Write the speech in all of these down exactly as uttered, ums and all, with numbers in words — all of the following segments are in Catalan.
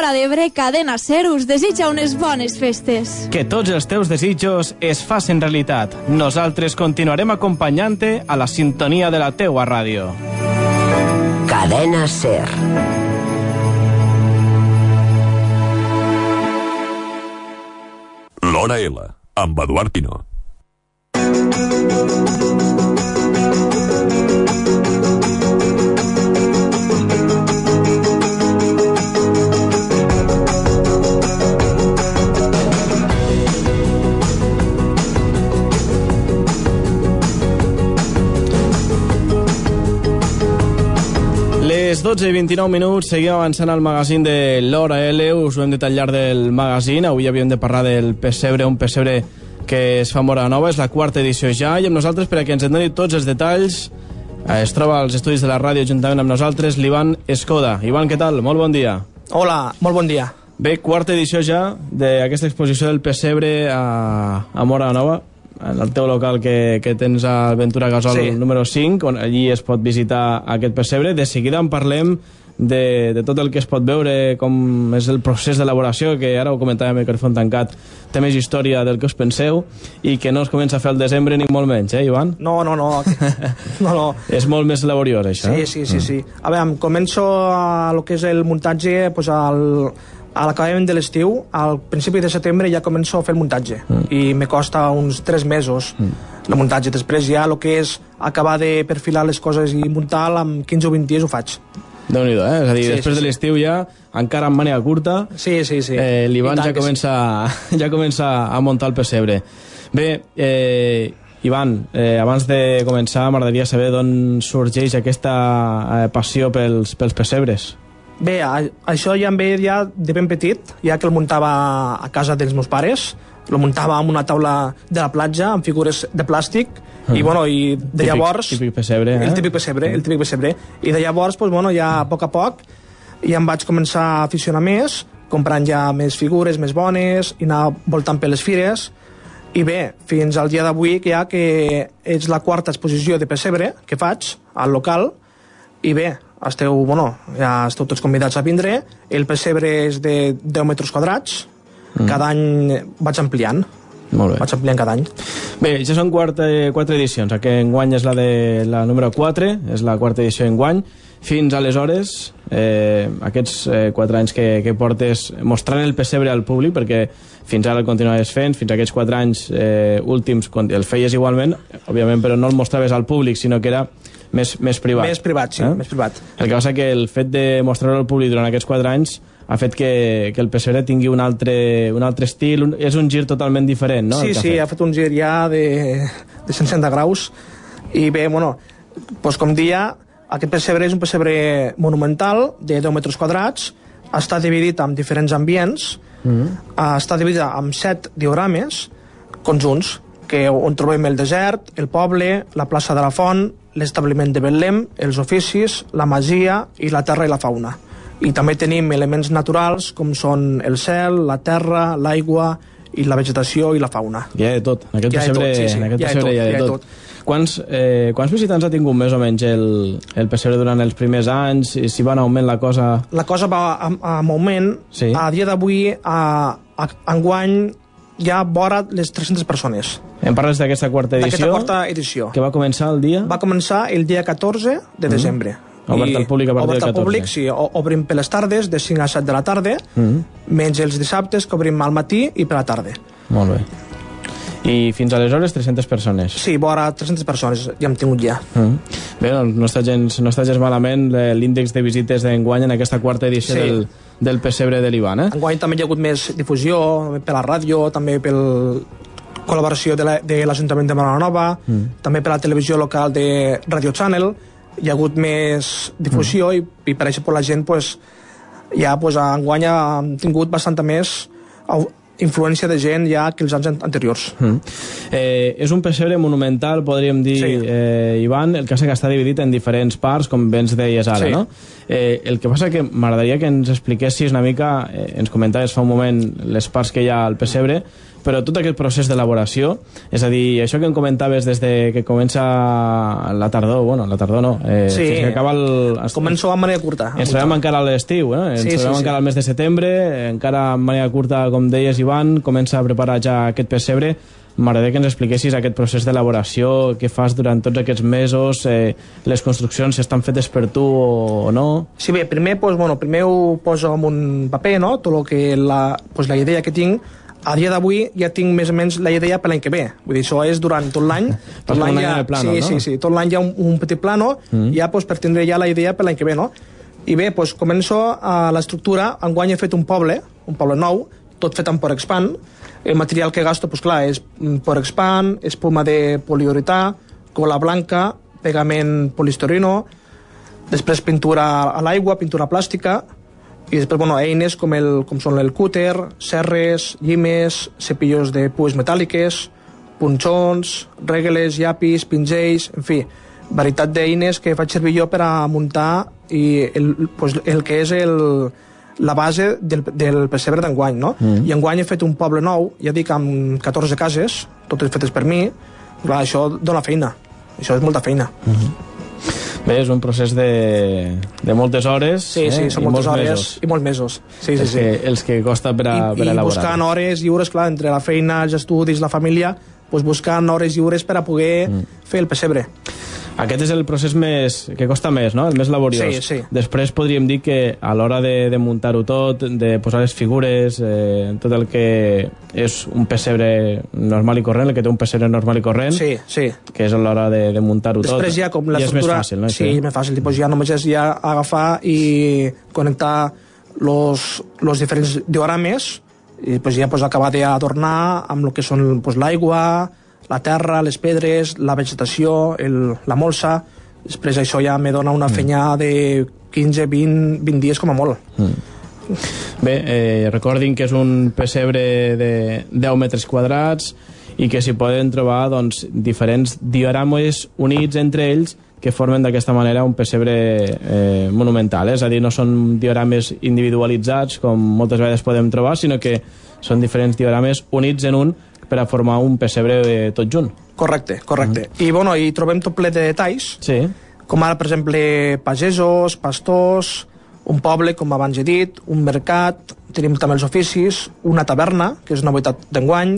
Terra d'Ebre, Cadena Ser us desitja unes bones festes. Que tots els teus desitjos es facin realitat. Nosaltres continuarem acompanyant-te a la sintonia de la teua ràdio. Cadena Ser. L'Hora L, amb Eduard Pino. Les dotze i vint-i-nou minuts, seguim avançant al magazín de l'Hora L, us ho hem dit al llarg del magazín. Avui havíem de parlar del pessebre, un pessebre que es fa a Móra la Nova, és la quarta edició ja, i amb nosaltres, per a que ens en doni tots els detalls, es troba als estudis de la ràdio juntament amb nosaltres l'Ivan Escoda. Ivan, què tal? Molt bon dia. Hola, molt bon dia. Bé, quarta edició ja d'aquesta exposició del pessebre a, a Móra la Nova, en el teu local que, que tens a Ventura Gasol, sí, número cinc, on allí es pot visitar aquest pessebre. De seguida en parlem de, de tot el que es pot veure, com és el procés d'elaboració, que ara ho comentàvem a micròfon tancat, té més història del que us penseu i que no es comença a fer al desembre ni molt menys, eh, Ivan? No, no, no. no, no. És molt més laboriós, això. Sí, sí, sí, sí. A veure, començo a lo que és el muntatge, pues, al... a l'acabament de l'estiu, al principi de setembre ja començo a fer el muntatge, mm. i me costa uns tres mesos mm. el muntatge. Després ja el que és acabar de perfilar les coses i muntar, amb quinze o vint dies ho faig. Déu-n'hi-do, eh? És a dir, sí, després sí, de l'estiu sí. ja, encara amb màniga curta, sí, sí, sí. Eh, l'Ivan ja comença, sí. ja comença a muntar el pessebre. Bé, eh, Ivan, eh, abans de començar m'agradaria saber d'on sorgeix aquesta eh, passió pels, pels pessebres. Bé, això ja em ve ja de ben petit, ja que el muntava a casa dels meus pares. El muntava amb una taula de la platja, amb figures de plàstic, mm. i, bueno, i de típic, llavors... Típic pessebre, eh? El típic pessebre, el típic pessebre. I de llavors, pues, bueno, ja a poc a poc, ja em vaig començar a aficionar més, comprant ja més figures, més bones, i anar voltant per les fires. I bé, fins al dia d'avui, que ja que és la quarta exposició de pessebre que faig al local, i bé, esteu, bueno, ja esteu tots convidats a vindre. El pessebre és de deu metres quadrats, mm. cada any vaig ampliant. Molt bé. Vaig ampliant cada any. Bé, ja són quatre, quatre edicions. Aquesta enguany és la de la número quatre, és la quarta edició enguany. Fins aleshores, eh, aquests eh, quatre anys que, que portes mostrant el pessebre al públic, perquè fins ara el continuaves fent, fins a aquests quatre anys eh, últims el feies igualment, òbviament, però no el mostraves al públic, sinó que era més, més privat. Més privat, sí, eh? més privat. El que passa que el fet de mostrar-ho al públic durant aquests quatre anys ha fet que, que el pessebre tingui un altre, un altre estil, un, és un gir totalment diferent, no? Sí, sí, ha fet un gir ja de, de cent seixanta graus, i bé, bueno, doncs com dia, aquest pessebre és un pessebre monumental de deu metres quadrats, està dividit en diferents ambients, mm-hmm. està dividit en set diorames conjunts, que on trobem el desert, el poble, la plaça de la Font, l'establiment de Betlem, els oficis, la masia i la terra i la fauna. I també tenim elements naturals com són el cel, la terra, l'aigua i la vegetació i la fauna. Hi ha de tot. En aquest pessebre sí, sí. hi ha de tot. Hi ha de tot. Quants, eh, quants visitants ha tingut més o menys el, el pessebre durant els primers anys? I si va en augment la cosa? La cosa va en augment. Sí. A dia d'avui, a, a, enguany, ja vora les tres-centes persones. Em parles d'aquesta quarta edició? D'aquesta quarta edició. Que va començar el dia? Va començar el dia catorze de desembre. Mm. Obert al públic a partir del catorze. Obert al públic, sí. Obrim per les tardes, de cinc a set de la tarda, mm. menys els dissabtes, que obrim al matí i per la tarda. Molt bé. I fins aleshores tres-centes persones? Sí, vora tres-centes persones ja hem tingut ja. Mm. Bé, doncs no està gens, no està gens malament l'índex de visites d'enguany en aquesta quarta edició sí. del, del pessebre de l'Ivan, eh? Enguany també hi ha hagut més difusió, per la ràdio, també per col·laboració de l'Ajuntament de Móra la Nova, mm. també per la televisió local de Radio Channel. Hi ha hagut més difusió mm. i, i per això la gent pues, ja pues, enguany ha tingut bastanta més influència de gent ja que els anys anteriors. Mm. Eh, és un pessebre monumental, podríem dir, sí. eh, Ivan, el que està dividit en diferents parts, com bé ens deies ara, sí. no? Eh, el que passa que m'agradaria que ens expliquessis una mica, eh, ens comentaves fa un moment les parts que hi ha al pessebre, però tot aquest procés d'elaboració, és a dir, això que em comentaves des de que comença la tardor, bueno, la tardor no, eh, sí, fins que acaba el... Començo amb manera curta. Ens trobem encara a l'estiu, eh? ens sí, trobem sí, encara sí. al mes de setembre, encara amb manera curta, com deies, Ivan, comença a preparar ja aquest pessebre. M'agradaria que ens expliquessis aquest procés d'elaboració que fas durant tots aquests mesos, eh, les construccions, si estan fetes per tu o no. Sí, bé, primer, pues, bueno, primer ho poso en un paper, no?, tot lo que la, pues, la idea que tinc. A dia d'avui ja tinc més o menys la idea per l'any que ve. Vull dir, això és durant tot l'any. Tot l'any ja, plano, sí, no? sí, sí, tot l'any hi ha un, un petit plano, mm. ja pues, per tindre ja la idea per l'any que ve, no? I bé, pues, començo a l'estructura. Enguany he fet un poble, un poble nou, tot fet amb Porexpan. El material que gasto, pues, clar, és Porexpan, espuma de poliuretà, cola blanca, pegament polistireno, després pintura a l'aigua, pintura plàstica, i després, bueno, eines com, el, com són el cúter, serres, llimes, cepillos de pues metàl·liques, punxons, regles, llapis, pinzells, en fi, varietat d'eines que faig servir jo per a muntar i el, pues, el que és el, la base del, del pessebre d'enguany, no? Mm. I enguany he fet un poble nou, ja dic, amb catorze cases, totes fetes per mi. Clar, això dona feina, això és molta feina. Mm-hmm. Bé, és un procés de, de moltes hores, sí, sí, eh? són I moltes molts hores mesos. i molts mesos. Sí, sí, els, sí. que, els que costa per, a, I, per i elaborar. I buscant hores lliures, clar, entre la feina, els estudis, la família, pues buscant hores lliures per a poder mm. fer el pessebre. Aquest és el procés més, que costa més, no? El més laboriós. Sí, sí. Després podríem dir que a l'hora de, de muntar-ho tot, de posar les figures, eh, tot el que és un pessebre normal i corrent, el que té un pessebre normal i corrent, sí, sí. que és a l'hora de, de muntar-ho tot. Després ja, com la ja és més fàcil, no? Sí, és més fàcil. Tipus, ja només és ja agafar i connectar los, los diferents diorames i pues, ja pues, acabar d'adornar amb el que són pues, l'aigua, la terra, les pedres, la vegetació, el, la molsa. Després això ja me dona una feina de quinze, vint, vint dies com a molt. Mm. Bé, eh, recordin que és un pessebre de deu metres quadrats i que s'hi poden trobar doncs, diferents diorames units entre ells que formen d'aquesta manera un pessebre eh, monumental. És a dir, no són diorames individualitzats com moltes vegades podem trobar, sinó que són diferents diorames units en un per a formar un pessebre eh, tot junt. Correcte, correcte. Mm. I, bueno, hi trobem tot ple de detalls, sí. Com ara, per exemple, pagesos, pastors, un poble, com abans he dit, un mercat, tenim també els oficis, una taverna, que és una novetat d'enguany,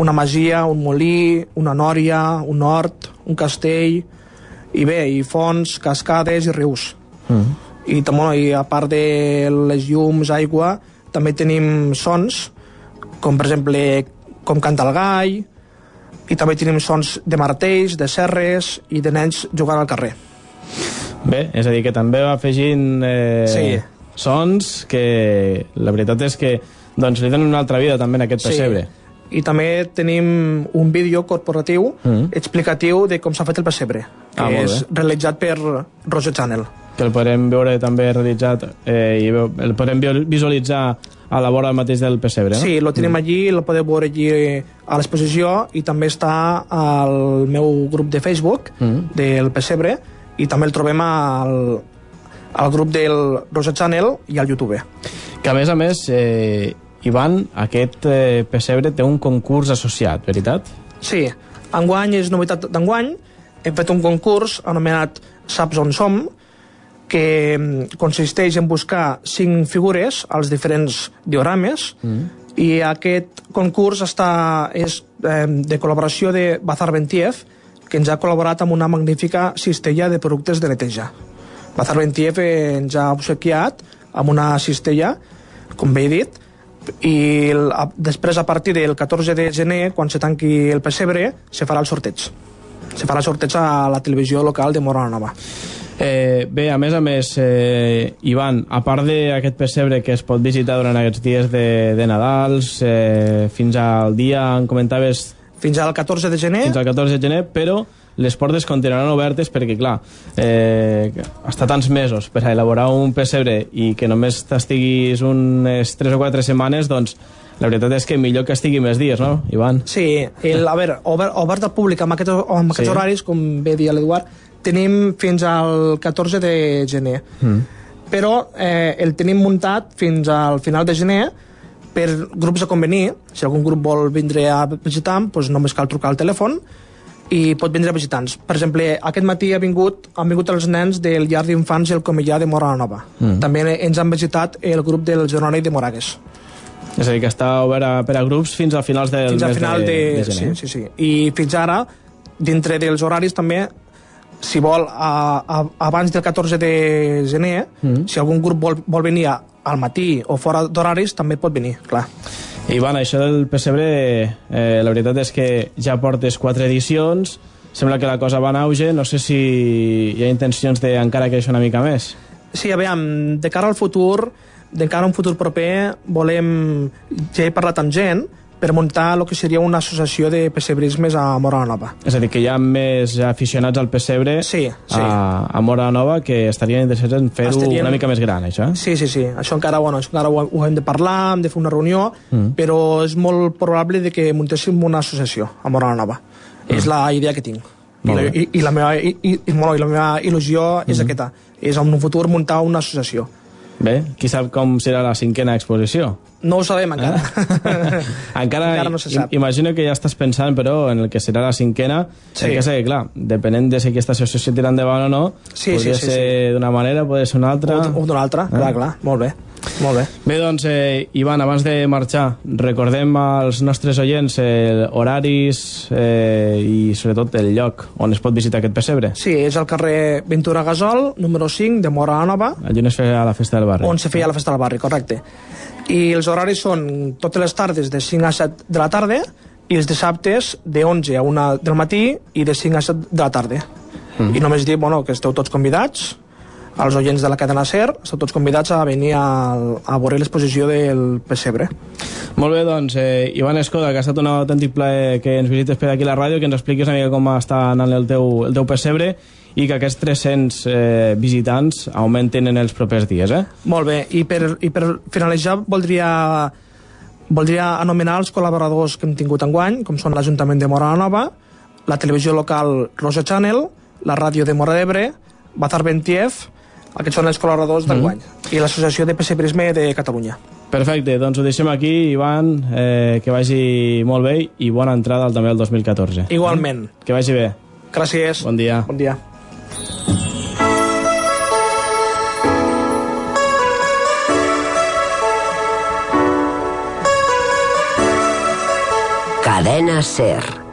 una masia, un molí, una nòria, un hort, un castell, i bé, i fonts, cascades i rius. Mm. I, bueno, i a part de les llums, aigua, també tenim sons, com per exemple com canta el gall, i també tenim sons de martells, de serres i de nens jugant al carrer. Bé, és a dir, que també va afegint eh, sí. sons que la veritat és que doncs, li donen una altra vida també en aquest pessebre. Sí. I també tenim un vídeo corporatiu mm. explicatiu de com s'ha fet el pessebre, que ah, és realitzat per Roger Channel. Que el podrem veure també realitzat eh, i el podrem visualitzar a la vora mateix del pessebre, no? Sí, lo tenim mm. allí, lo podeu veure allí a l'exposició i també està al meu grup de Facebook mm. del pessebre i també el trobem al, al grup del Rosa Channel i al YouTube. Que a més a més, eh, Ivan, aquest eh, pessebre té un concurs associat, veritat? Sí, enguany és novetat d'enguany, hem fet un concurs anomenat Saps on som, que consisteix en buscar cinc figures als diferents diorames mm. i aquest concurs està, és eh, de col·laboració de Bazar Bentiev, que ens ha col·laborat amb una magnífica cistella de productes de neteja. Bazar Bentiev ens ha obsequiat amb una cistella, com bé he dit, i el, a, després a partir del catorze de gener, quan se tanqui el pessebre, se farà el sorteig. Se farà el sorteig a la televisió local de Móra la Nova. Eh, bé, a més a més, eh, Ivan, a part d'aquest pessebre que es pot visitar durant aquests dies de, de Nadals, eh, fins al dia, em comentaves... Fins al catorze de gener. Fins al catorze de gener, però les portes continuaran obertes perquè, clar, eh, està tants mesos per a elaborar un pessebre i que només t'estiguis unes tres o quatre setmanes, doncs la veritat és que millor que estigui més dies, no, Ivan? Sí, el, a veure, obert, obert al públic amb aquests, amb aquests sí. horaris, com bé dia l'Eduard, tenim fins al catorze de gener. Mm. Però eh, el tenim muntat fins al final de gener per grups a convenir, si algun grup vol vindre a visitar, doncs només cal trucar al telèfon i pot vindre a visitants. Per exemple, aquest matí ha vingut, han vingut els nens del llar d'infants i el Comellà de Móra la Nova. Mm. També ens han visitat el grup del Geronari de Moragues. És a dir, que està obert a, per a grups fins a finals del fins mes al final de, de, de gener. Sí, sí, sí. I fins ara, dintre dels horaris també, si vol, a, a, abans del catorze de gener, mm. si algun grup vol, vol venir al matí o fora d'horaris, també pot venir, clar. Ivan, això del pessebre, eh, la veritat és que ja portes quatre edicions, sembla que la cosa va en auge, no sé si hi ha intencions d'encara créixer una mica més. Sí, aviam, de cara al futur, de cara a un futur proper, volem, ja he parlat amb gent, per muntar el que seria una associació de pessebrismes a Móra la Nova. És a dir, que hi ha més aficionats al pessebre sí, sí. A, a Móra la Nova que estarien interessats en fer-ho estarien... una mica més gran, això? Sí, sí, sí. Això encara, bueno, això encara ho, ho hem de parlar, hem de fer una reunió, mm. però és molt probable de que muntéssim una associació a Móra la Nova. Mm. És la idea que tinc. I la, i, i, la meva, i, i, i la meva il·lusió mm. és aquesta. És en un futur muntar una associació. Bé, qui sap com serà la cinquena exposició? No ho sabem encara. Eh? encara encara no se sap. Imagino que ja estàs pensant, però, en el que serà la cinquena. Sí. Que sé, clar, depenent de si aquesta associació tira endavant o no, sí, podria sí, sí, ser sí. d'una manera, podria ser una altra. O, o d'una altra, eh? clar, clar. Molt bé. Molt bé. Bé, doncs, eh, Ivan, abans de marxar, recordem als nostres oients eh, horaris eh, i, sobretot, el lloc on es pot visitar aquest pessebre. Sí, és al carrer Ventura Gasol, número cinc, de Móra la Nova. Allí on es feia la festa del barri. On se feia la festa del barri, correcte. I els horaris són totes les tardes de cinc a set de la tarda i els dissabtes de onze a una del matí i de cinc a set de la tarda. Mm. I només dir, bueno, que esteu tots convidats, als oients de la cadena SER, esteu tots convidats a venir a, a veure l'exposició del pessebre. Molt bé, doncs, eh, Ivan Escoda, que ha estat un autèntic plaer que ens visites per aquí a la ràdio, que ens expliquis una mica com està anant el teu, el teu pessebre i que aquests tres-cents eh, visitants augmenten en els propers dies, eh? Molt bé, i per, i per finalitzar voldria, voldria anomenar els col·laboradors que hem tingut enguany, com són l'Ajuntament de Móra la Nova, la televisió local Rosa Channel, la ràdio de Móra d'Ebre, Bazar Bentiev. Aquests són els col·laboradors d'enguany. Mm. I l'Associació de Pessebrisme de Catalunya. Perfecte, doncs ho deixem aquí, Ivan, eh, que vagi molt bé i bona entrada també al dos mil catorze. Igualment. Eh? Que vagi bé. Gràcies. Bon dia. Bon dia. Cadena SER.